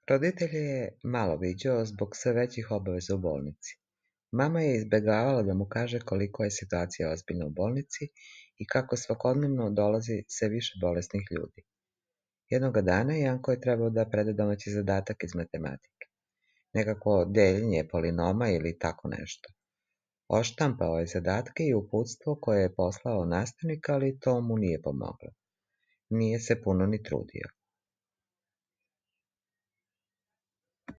Roditelje je malo viđao zbog sve većih obaveza u bolnici. Mama je izbegavala da mu kaže koliko je situacija ozbiljna u bolnici i kako svakodnevno dolazi sve više bolesnih ljudi. Jednoga dana Janko je trebao da preda domaći zadatak iz matematike. Nekako deljenje polinoma ili tako nešto. Odštampao je zadatke i uputstvo koje je poslao nastavnik, ali to mu nije pomoglo. Nije se puno ni trudio.